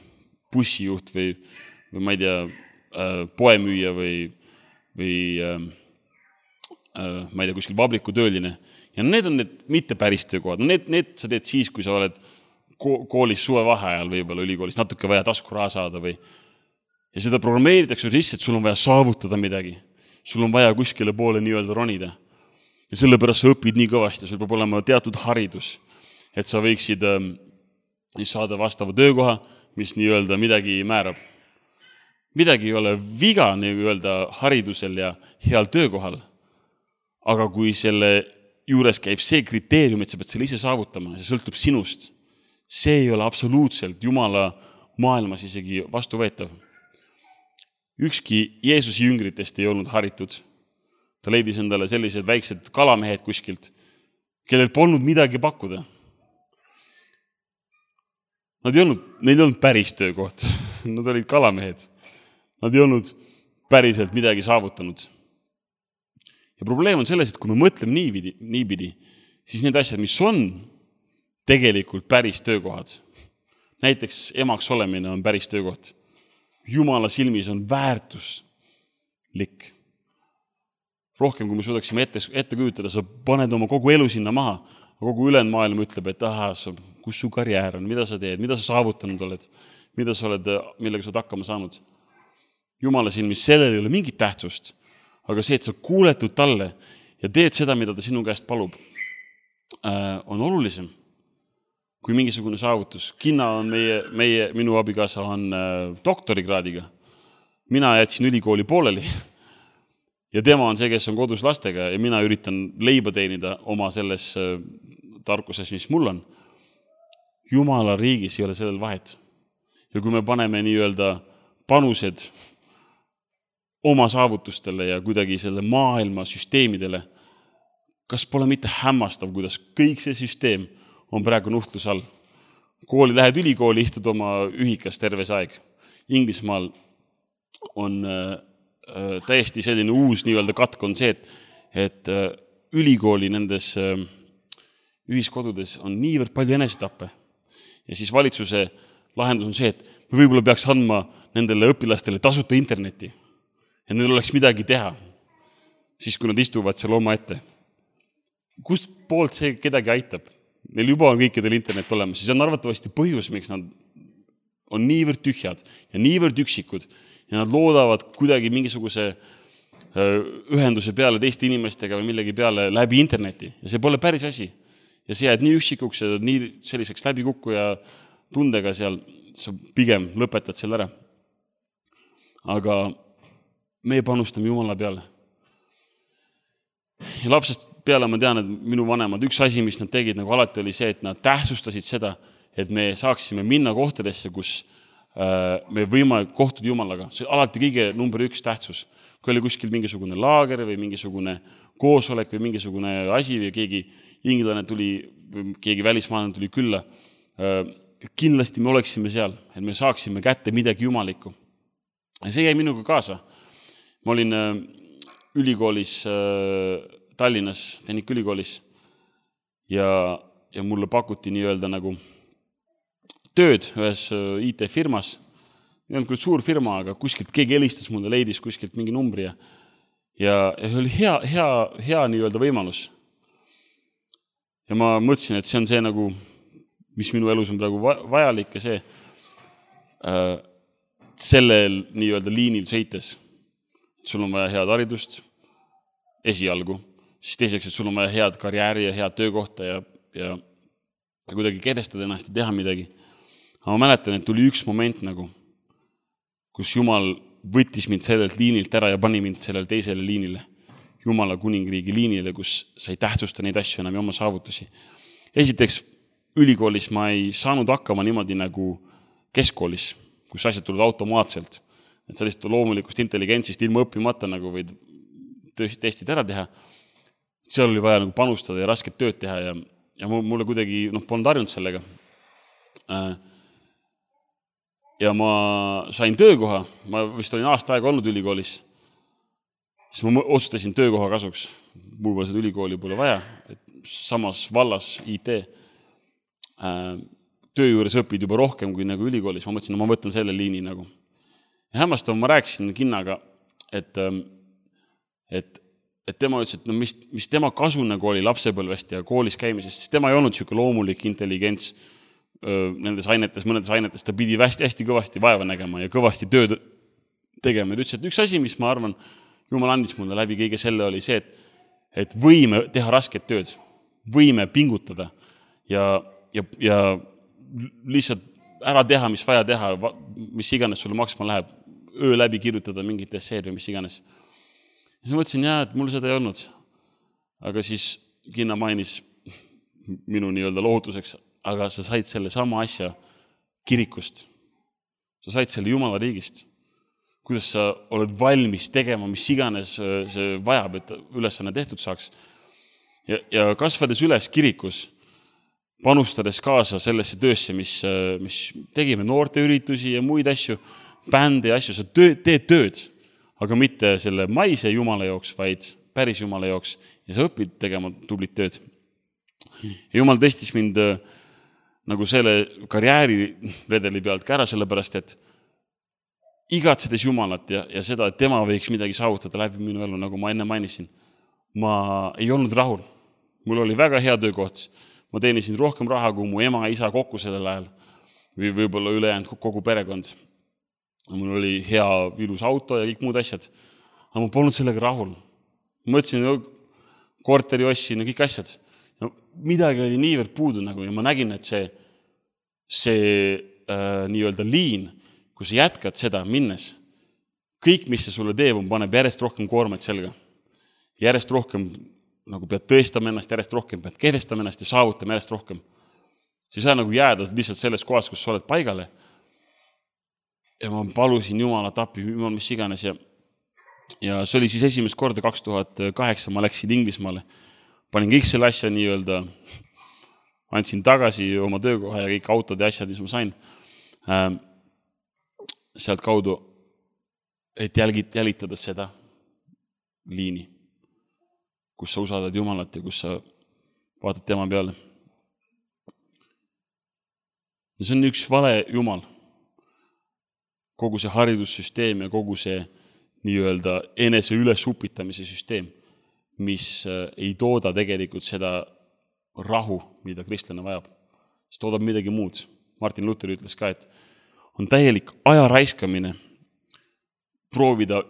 bussijuht või, või ma ei tea, poemüüja või, või ma ei tea, kuskil vabriku tööline. Ja need on need mitte päris töökohad. No need, need sa teed siis, kui sa oled koolis suve vaheajal võib-olla ülikoolis natuke vaja tasku raha saada või ja seda programmeeritakse sisse, et sul on vaja saavutada midagi. Sul on vaja kuskile poole nii-öelda ronida. Ja sellepärast sa õpid nii kõvasti, sul peab olema teatud haridus, et sa võiksid ähm, saada vastava töökoha, mis nii-öelda midagi määrab. Midagi ei ole viga nii-öelda haridusel ja heal töökohal, aga kui selle juures käib see kriteerium, et sa pead selle ise saavutama, see sõltub sinust. See ei ole absoluutselt Jumala maailmas isegi vastuvõetav. Ükski Jeesuse jüngritest ei olnud haritud. Ta leidis endale sellised väiksed kalamehed kuskilt, kellel polnud midagi pakkuda. Nad ei olnud, neil ei olnud päris töökoht. Nad olid kalamehed. Nad ei olnud päriselt midagi saavutanud. Ja probleem on selles, et kui me mõtleme niipidi, niipidi siis need asjad, mis on tegelikult päris töökohad. Näiteks emaks olemine on päris töökoht. Jumala silmis on väärtuslik. Rohkem, kui me suudaksime ette, ette kujutada, sa paned oma kogu elu sinna maha. Kogu ülejäänud maailm ütleb, et aha, kus su karjäär on, mida sa teed, mida sa saavutanud oled, mida sa oled, millega sa oled hakkama saanud. Jumala silmis sellel ei ole mingit tähtsust, aga see, et sa kuuletud talle ja teed seda, mida ta sinu käest palub, on olulisem kui mingisugune saavutus. Kinna on meie, meie, minu abikaasa on doktorikraadiga. Mina jätsin ülikooli pooleli ja tema on see, kes on kodus lastega ja mina üritan leiba teenida oma selles tarkuses, mis mul on. Jumala riigis ei ole sellel vahet. Ja kui me paneme nii-öelda panused oma saavutustele ja kuidagi selle maailma süsteemidele, kas pole mitte hämmastav, kuidas kõik see süsteem on praegu nuhtlus all. Kooli lähed ülikooli, istud oma ühikas terves aeg. Inglismaal on äh, täiesti selline uus nii-öelda katk on see, et, et äh, ülikooli nendes äh, ühiskodudes on niivõrd palju enesetappe. Ja siis valitsuse lahendus on see, et me võib-olla peaks andma nendele õpilastele tasuta interneti. Ja neil oleks midagi teha, siis kui nad istuvad seal oma ette. kust poolt see kedagi aitab? Neil juba on kõikidel internet olemas, siis on arvatavasti põhjus, miks nad on niivõrd tühjad ja niivõrd üksikud ja nad loodavad kuidagi mingisuguse ühenduse peale teiste inimestega või millegi peale läbi interneti ja see pole päris asi. Ja see jääd nii üksikuks ja nii selliseks läbikukku ja tundega seal, sa pigem lõpetad selle ära. Aga me panustame Jumala peale. Ja lapsest peale ma tean, et minu vanemad, üks asi, mis nad tegid nagu alati oli see, et nad tähtsustasid seda, et me saaksime minna kohtadesse, kus me võime kohtuda Jumalaga. See alati kõige number üks tähtsus. Kui oli kuskil mingisugune laager või mingisugune koosolek või mingisugune asi või keegi inglane tuli, keegi välismaalane tuli külla, kindlasti me oleksime seal, et me saaksime kätte midagi jumalikku. Ja see jäi minuga kaasa. Ma olin ülikoolis Tallinnas, Tehnika ülikoolis ja, ja mulle pakuti nii-öelda nagu tööd ühes I T-firmas. Ei olnud küll suur firma, aga kuskilt keegi helistas mulle, leidis kuskilt mingi numbri ja, ja, ja see oli hea, hea, hea nii-öelda võimalus. Ja ma mõtlesin, et see on see nagu, mis minu elus on praegu vajalik ja see äh, sellel nii-öelda liinil sõites. Sul on vaja head haridust esialgu, siis teiseks, et sul on vaja head karjääri ja head töökohta ja, ja, ja kuidagi kedestada ennast ja teha midagi. Aga ma mäletan, et tuli üks moment nagu, kus Jumal võttis mind sellelt liinilt ära ja pani mind sellele teisele liinile, Jumala kuningriigi liinile, kus sa ei tähtsusta neid asju enam ja oma saavutusi. Esiteks, ülikoolis ma ei saanud hakkama niimoodi nagu keskkoolis, kus asjad tulid automaatselt. Et sellist loomulikust intelligentsist ilma õppimata nagu võid testid ära teha. Seal oli vaja nagu panustada ja rasket tööd teha ja, ja mulle kuidagi noh, polnud harjunud sellega. Ja ma sain töökoha, ma vist olin aasta aega olnud ülikoolis, siis ma otsustasin töökoha kasuks. Mul pole seda ülikooli pole vaja, et samas vallas I T töö juures õpid juba rohkem kui nagu ülikoolis. Ma mõtlesin, no ma võtan selle liini nagu. Ja hämmastav ma rääkisin Kinnaga, et et, et tema ütles, et no mis, mis tema kasu nagu oli lapsepõlvest ja koolis käimisest, siis tema ei olnud siuke loomulik intelligents öö, nendes ainetes, mõnedes ainetes, ta pidi hästi, hästi kõvasti vaeva nägema ja kõvasti tööd tegema. Ta ütles, et üks asi, mis ma arvan, Jumal andis mulle läbi kõige selle oli see, et, et võime teha rasket tööd, võime pingutada ja, ja, ja lihtsalt ära teha, mis vaja teha, mis iganes sulle maksma läheb, öö läbi kirjutada mingit esseed või mis iganes. Ja siis mõtlesin, jah, et mul seda ei olnud. Aga siis Kinna mainis minu nii-öelda lohutuseks, aga sa said selle sama asja kirikust. Sa said selle Jumala riigist. Kuidas sa oled valmis tegema, mis iganes see vajab, et ülesanne tehtud saaks. Ja, ja kasvades üles kirikus, panustades kaasa sellesse töösse, mis, mis tegime noorteüritusi ja muid asju, bände ja asju, sa töö, teed tööd. Aga mitte selle maise Jumala jooks, vaid päris Jumala jooks ja sa õpid tegema tublit tööd. Ja Jumal testis mind nagu selle karjääri redeli pealt ka ära, sellepärast, et igatsedes Jumalat ja, ja seda, et tema võiks midagi saavutada läbi minu elu, nagu ma enne mainisin, ma ei olnud rahul. Mul oli väga hea töökoht. Ma teenisin rohkem raha kui mu ema ja isa kokku sellel ajal või võib-olla ülejäänud kogu perekond. Mul oli hea ilus auto ja kõik muud asjad. Aga ma polnud sellega rahul. Mõtlesin, korteri ossin ja kõik asjad. Ja midagi oli niivõrd puudu nagu, ja ma nägin, et see, see äh, nii-öelda liin, kui sa jätkad seda minnes, kõik, mis see sulle teeb, on paneb järjest rohkem koormaid selga. Järjest rohkem nagu pead tõestama ennast, järjest rohkem pead kehtestama ennast ja saavutama järjest rohkem. Sa ei saa nagu jääda lihtsalt selles kohas, kus sa oled paigale. Ja ma palusin Jumalat appi, Jumal mis iganes ja, ja see oli siis esimest korda kaks tuhat kaheksa, ma läksin Inglismaale. Panin kõik selle asja nii-öelda, andsin tagasi oma töökoha ja kõik autod ja asjad, mis ma sain ähm, sealt kaudu, et jälgid, jälitada seda liini, kus sa usaldad Jumalat ja kus sa vaatad tema peale. Ja see on üks vale Jumal. Kogu see haridussüsteem ja kogu see nii-öelda enese üles upitamise süsteem. mis ei tooda tegelikult seda rahu, mida kristlane vajab. See toodab midagi muud. Martin Luther ütles ka, et on täielik aja raiskamine proovida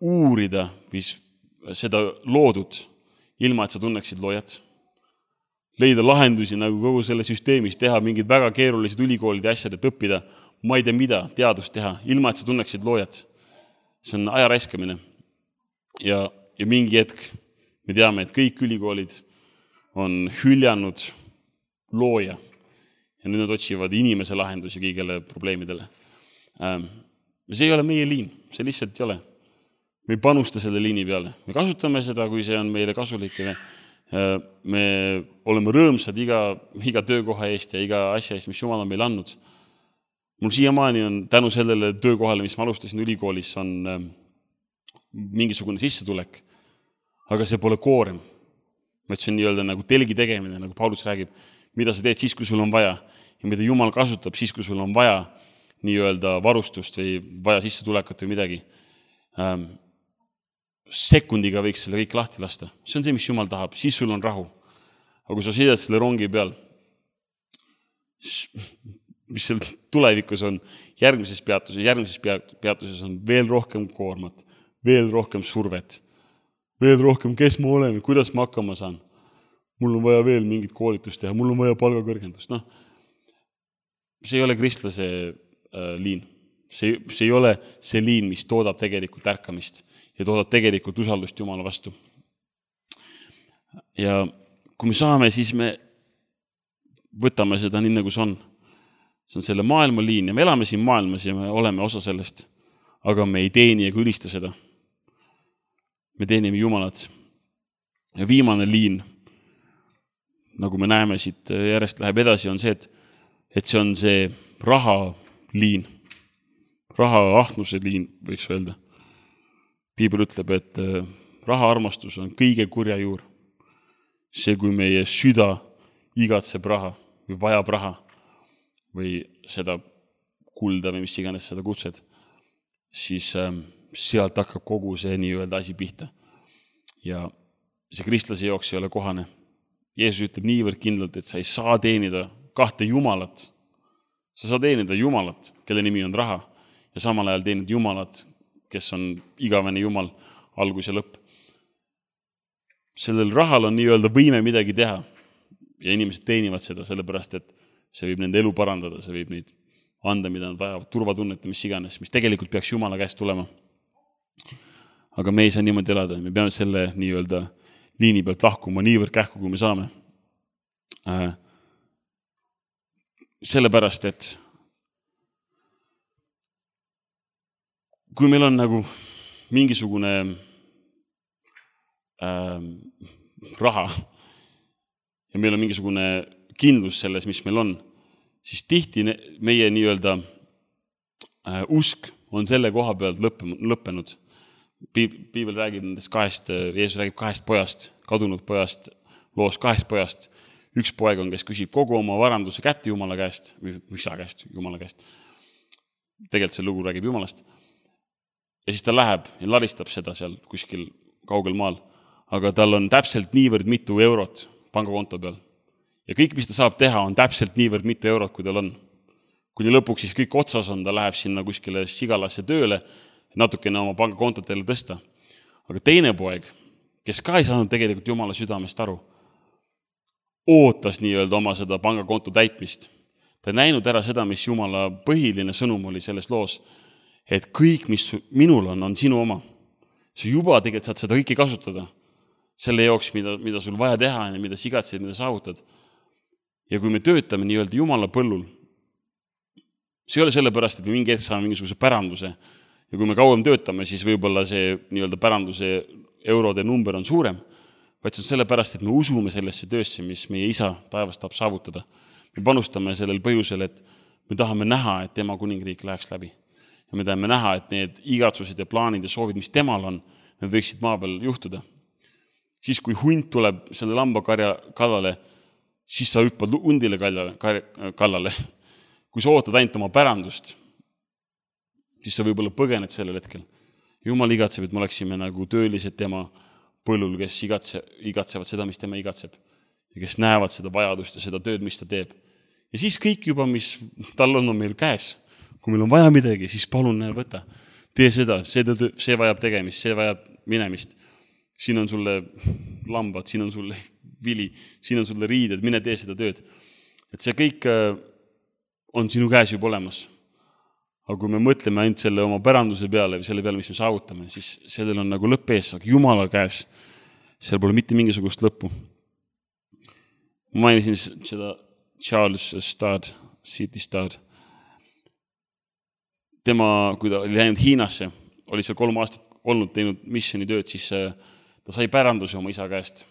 uurida mis seda loodud, ilma et sa tunneksid loojat. Leida lahendusi nagu kogu selle süsteemis, teha mingid väga keerulised ülikoolide asjad, et õppida, ma ei tea mida, teadust teha, ilma et sa tunneksid loojat. See on aja raiskamine. Ja, ja mingi hetk me teame, et kõik ülikoolid on hüljanud looja. Ja nüüd nad otsivad inimese lahendusi kõigile probleemidele. See ei ole meie liin, see lihtsalt ei ole. Me ei panusta selle liini peale. Me kasutame seda, kui see on meile kasulik. Me oleme rõõmsad iga, iga töökoha eest ja iga asja eest, mis Jumal on meile andnud. Mul siiamaani on tänu sellele töökohale, mis ma alustasin ülikoolis, on mingisugune sissetulek. Aga see pole koorem. See on nii-öelda nagu telgi tegemine, nagu Paulus räägib, mida sa teed siis, kui sul on vaja. Ja mida Jumal kasutab siis, kui sul on vaja nii-öelda varustust või vaja sissetulekut või midagi. Ähm, sekundiga võiks selle kõik lahti lasta. See on see, mis Jumal tahab. Siis sul on rahu. Aga kui sa sõidad selle rongi peal, mis seal tulevikus on, järgmises peatuses, järgmises peatuses on veel rohkem koormat, veel rohkem survet, veel rohkem, kes ma olen, kuidas ma hakkama saan. Mul on vaja veel mingit koolitust teha, mul on vaja palgakõrgendust. No, see ei ole kristlase äh, liin. See, see ei ole see liin, mis toodab tegelikult ärkamist ja toodab tegelikult usaldust Jumala vastu. Ja kui me saame, siis me võtame seda nii, nagu see on. See on selle maailma liin ja me elame siin maailmas ja me oleme osa sellest, aga me ei teeni ega ülista seda. Me teenime Jumalat. Ja viimane liin, nagu me näeme siit järjest läheb edasi, on see, et, et see on see raha liin. Raha ahnuse liin, võiks öelda. Piibel ütleb, et raha armastus on kõige kurja juur. See, kui meie süda igatseb raha või vajab raha või seda kulda või mis iganes seda kutsed, siis sealt hakkab kogu see nii-öelda asi pihta. Ja see kristlase jooks ei ole kohane. Jeesus ütleb niivõrd kindlalt, et sa ei saa teenida kahte Jumalat. Sa saa teenida Jumalat, kelle nimi on raha, ja samal ajal teenid Jumalat, kes on igavene Jumal, algus ja lõpp. Sellel rahal on nii-öelda võime midagi teha ja inimesed teenivad seda, sellepärast, et see võib nende elu parandada, see võib neid anda, mida nad vajavad, turvatunnet ja mis iganes, mis tegelikult peaks Jumala käest tulema. Aga me ei saa niimoodi elada, me peame selle nii-öelda liini pealt lahkuma niivõrd kähku, kui me saame. Äh, sellepärast, et kui meil on nagu mingisugune äh, raha ja meil on mingisugune kindlus selles, mis meil on, siis tihti meie nii-öelda äh, usk on selle koha pealt lõppenud. Piibel räägib nendest kahest, Jeesus räägib kahest pojast, kadunud pojast, loos kahest pojast. Üks poeg on, kes küsib kogu oma varanduse kätte Jumala käest, või isa käest, Jumala käest. Tegelikult see lugu räägib Jumalast. Ja siis ta läheb ja laristab seda seal kuskil kaugel maal. Aga tal on täpselt niivõrd mitu eurot pangakonto peal. Ja kõik, mis ta saab teha, on täpselt niivõrd mitu eurot, kui tal on. Kuni lõpuks siis kõik otsas on, ta läheb sinna kuskile sigalasse tööle, natukene oma pangakontotele tõsta. Aga teine poeg, kes ka ei saanud tegelikult Jumala südamest aru, ootas nii-öelda oma seda pangakonto täitmist. Ta ei näinud ära seda, mis Jumala põhiline sõnum oli selles loos, et kõik, mis minul on, on sinu oma. Sa juba tegelikult saad seda kõike kasutada. Selle jooks, mida, mida sul vaja teha ja mida sigatsed, mida saavutad. Ja kui me töötame nii-öelda Jumala põllul, see ei ole sellepärast, et me mingi hetk saame mingisuguse päranduse. Ja kui me kauem töötame, siis võib-olla see nii-öelda päranduse eurode number on suurem, vaid see on sellepärast, et me usume sellesse töösse, mis meie isa taevast tahab saavutada. Me panustame sellel põhjusel, et me tahame näha, et tema kuningriik läheks läbi. Ja me tahame näha, et need igatsused ja plaanid ja soovid, mis temal on, need võiksid maa peal juhtuda. Siis, kui hunt tuleb selle lambakarja kallale, siis sa hüppad hundile kallale. Kui sa ootad ainult oma pärandust, siis sa võib-olla põgened sellel hetkel. Jumal igatseb, et me oleksime nagu töölised tema põllul, kes igatse, igatsevad seda, mis tema igatseb. Ja kes näevad seda vajadust ja seda tööd, mis ta teeb. Ja siis kõik juba, mis tal on, on meil käes. Kui meil on vaja midagi, siis palun näe, võta. Tee seda, see, see vajab tegemist, see vajab minemist. Siin on sulle lambad, siin on sulle vili, siin on sulle riided, mine tee seda tööd. Et see kõik on sinu käes juba olemas. Aga kui me mõtleme ainult selle oma päranduse peale või selle peale, mis me saavutame, siis sellel on nagu lõpp ees, aga Jumala käes, seal pole mitte mingisugust lõppu. Ma mainisin seda Charles Stad, City Stad. Tema, kui ta oli läinud Hiinasse, oli seal kolm aastat olnud teinud missioni tööd, siis ta sai päranduse oma isa käest.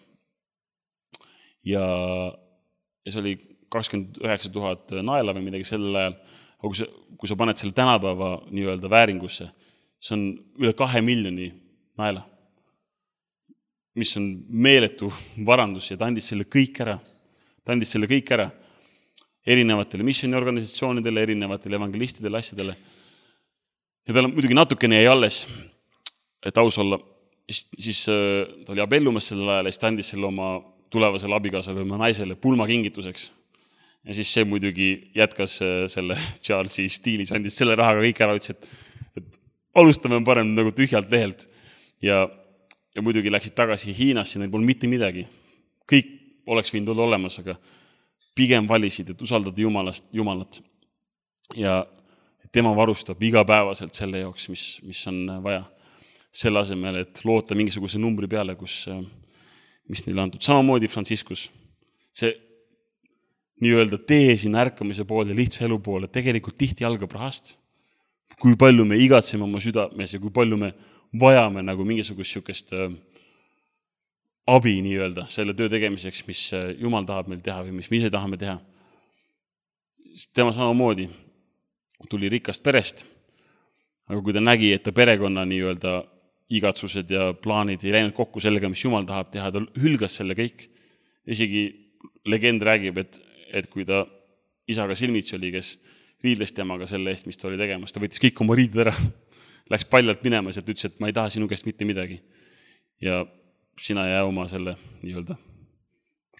Ja, ja see oli kakskümmend üheksa tuhat naela või midagi sellel ajal. Aga kui sa, kui sa paned selle tänapäeva nii-öelda vääringusse, see on üle kahe miljoni naela, mis on meeletu varandus ja ta andis selle kõik ära. Ta andis selle kõik ära erinevatele missioniorganisatsioonidele, erinevatele evangelistidele, asjadele. Ja tal on muidugi natukene jäi alles, et aus olla. Siis, siis ta oli abellumas sellel ajal ja siis ta andis selle oma tulevasele abikaasale oma naisele pulmakingituseks. Ja siis see muidugi jätkas selle Charlesi stiilis, andis selle rahaga kõik ära, ütles, et, et alustame parem nagu tühjalt lehelt. Ja, ja muidugi läksid tagasi Hiinasse, neil polnud mitte midagi. Kõik oleks võinud olla olemas, aga pigem valisid, et usaldada Jumalast, Jumalat. Ja tema varustab igapäevaselt selle jaoks, mis, mis on vaja. Selle asemel, et loota mingisuguse numbri peale, kus, mis neile antud. Samamoodi Franciscus. See nii-öelda tee siin ärkamise poole ja lihtsa elu poole tegelikult tihti algab rahast. Kui palju me igatseme oma südames ja kui palju me vajame nagu mingisugust sükest abi nii-öelda selle töö tegemiseks, mis Jumal tahab meil teha või mis me ise tahame teha. Tema samamoodi tuli rikkast perest, aga kui ta nägi, et ta perekonna nii-öelda igatsused ja plaanid ei läinud kokku sellega, mis Jumal tahab teha, ta hülgas selle kõik. Isegi legend räägib, et et kui ta isaga silmitsi oli, kes riidles temaga selle eest, mis ta oli tegemas, ta võttis kõik oma riided ära, läks paljalt minema ja ütles, et ma ei taha sinu käest mitte midagi. Ja sina jää oma selle nii-öelda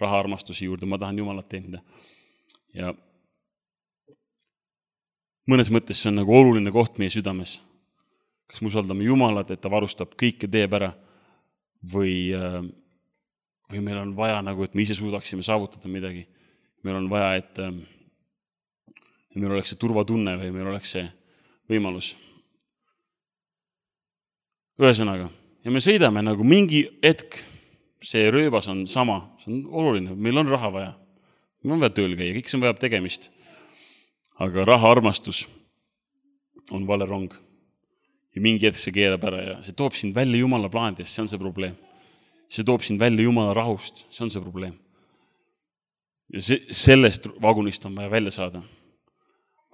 rahaarmastuse juurde, ma tahan Jumalat teenida. Ja mõnes mõttes see on nagu oluline koht meie südames. Kas me usaldame Jumalat, et ta varustab kõike teeb ära või, või meil on vaja nagu, et me ise suudaksime saavutada midagi. Meil on vaja, et, et meil oleks see turvatunne või meil oleks see võimalus. Ühesõnaga, ja me sõidame nagu mingi hetk, see rööbas on sama, see on oluline, meil on raha vaja. Meil on vaja tööl käia, kõik see on vaja tegemist. Aga raha armastus on vale rong. Ja mingi hetk see keelab ära ja see toob sind välja Jumala plaanidest, see on see probleem. See toob sind välja Jumala rahust, see on see probleem. Ja see, sellest vagunist on vaja välja saada.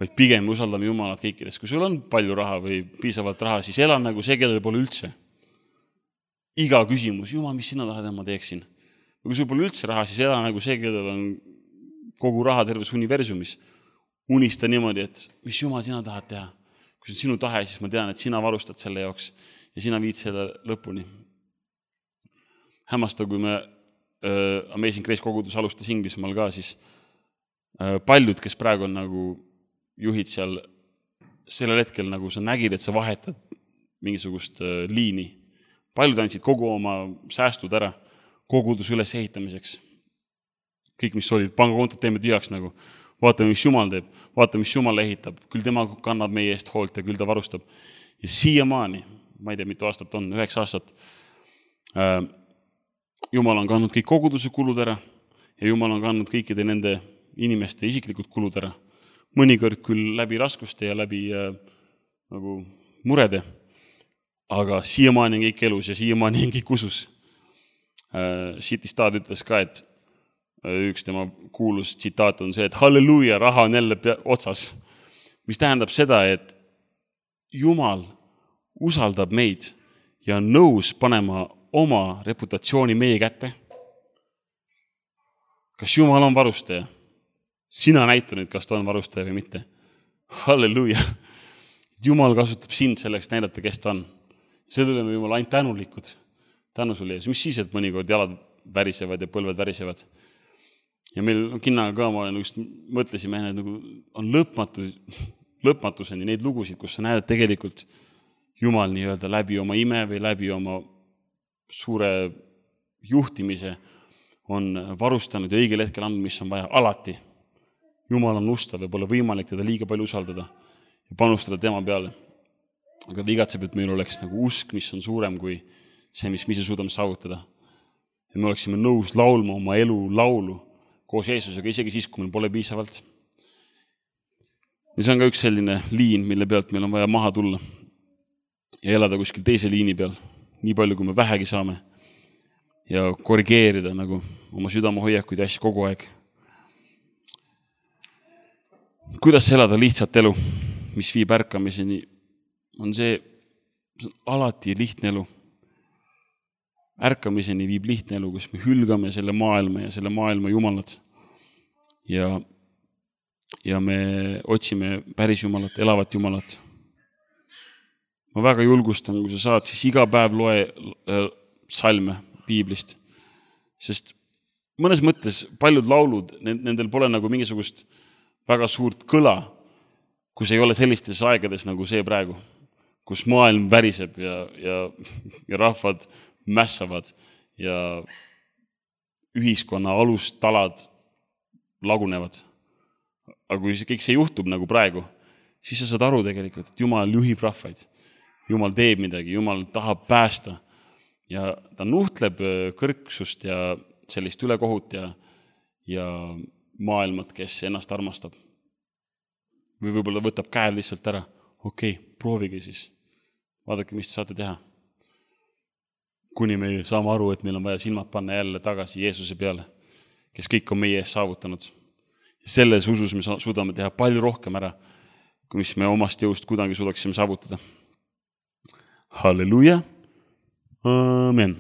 Vaid pigem usaldame Jumalat kõikides. Kui sul on palju raha või piisavalt raha, siis ela nagu see, kellel pole üldse. Iga küsimus, Jumal, mis sina tahad, et ma teeksin? Kui sul pole üldse raha, siis ela nagu see, kellel on kogu raha terves universumis. Unista niimoodi, et mis Jumal sina tahad teha. Kui see on sinu tahe, siis ma tean, et sina varustad selle jaoks ja sina viid selle lõpuni. Hämmasta, kui me Uh, Amazing Grace kogudus alustas Inglismaal ka, siis uh, paljud, kes praegu on nagu juhid seal, sellel hetkel nagu sa nägid, et sa vahetad mingisugust uh, liini. Paljud andsid kogu oma säästud ära kogudus üles ehitamiseks. Kõik, mis olid, pangakontot teeme tühjaks nagu. Vaatame, mis Jumal teeb, vaatame, mis Jumal ehitab. Küll tema kannab meie eest hoolt ja küll ta varustab. Ja siiamaani, ma ei tea, mitu aastat on, üheksa aastat, uh, Jumal on kandnud kõik koguduse kulud ära ja Jumal on kandnud kõikide nende inimeste isiklikud kulud ära. Mõnikord küll läbi raskuste ja läbi äh, nagu murede, aga siiamaani on kõik elus ja siiamaani on kõik usus. Äh, City Stad ütles ka, et äh, üks tema kuulus tsitaat on see, et halleluuja, raha on jälle pea- otsas. Mis tähendab seda, et Jumal usaldab meid ja on nõus panema oma reputatsiooni meie kätte. Kas Jumal on varustaja? Sina näita nüüd, kas ta on varustaja või mitte. Halleluuja. Jumal kasutab sind selleks näidata, kes ta on. Selle oleme Jumal ainult tänulikud. tänu sulle, Jeesus. Mis siis, et mõnikord jalad värisevad ja põlved värisevad. Ja meil kinnaga ka ma just mõtlesime, et nagu on lõpmatus, lõpmatuseni neid lugusid, kus sa näed, et tegelikult Jumal nii-öelda läbi oma ime või läbi oma suure juhtimise on varustanud ja õigel hetkel andnud, mis on vaja alati. Jumal on ustav ja pole võimalik teda liiga palju usaldada ja panustada tema peale. Aga ta igatseb, et meil oleks nagu usk, mis on suurem kui see, mis me ise suudame saavutada. Ja me oleksime nõus laulma oma elu laulu koos Jeesusega, isegi siis, kui meil pole piisavalt. Ja see on ka üks selline liin, mille pealt meil on vaja maha tulla ja elada kuskil teise liini peal, nii palju, kui me vähegi saame ja korrigeerida nagu oma südame hoiakuid ja asju kogu aeg. Kuidas elada lihtsat elu, mis viib ärkamiseni, on see, see on alati lihtne elu. Ärkamiseni viib lihtne elu, kus me hülgame selle maailma ja selle maailma jumalad. Ja, ja me otsime päris jumalat, elavat jumalat. Ma väga julgustan, kui sa saad, siis iga päev loe salme piiblist. Sest mõnes mõttes paljud laulud, nendel pole nagu mingisugust väga suurt kõla, kus ei ole sellistes aegades nagu see praegu, kus maailm väriseb ja, ja, ja rahvad mässavad ja ühiskonna alustalad lagunevad. Aga kui kõik see juhtub nagu praegu, siis sa saad aru tegelikult, et Jumal juhib rahvaid. Jumal teeb midagi, Jumal tahab päästa ja ta nuhtleb kõrgsust ja sellist ülekohut ja, ja maailmat, kes ennast armastab. Või võib-olla võtab käed lihtsalt ära. Okei, proovige siis. Vaadake, mis saate teha. Kuni me saame aru, et meil on vaja silmad panna jälle tagasi Jeesuse peale, kes kõik on meie ees saavutanud. Ja selles usus me suudame teha palju rohkem ära, kui mis me omast jõust kuidagi suudaksime saavutada. Halleluja. Amen.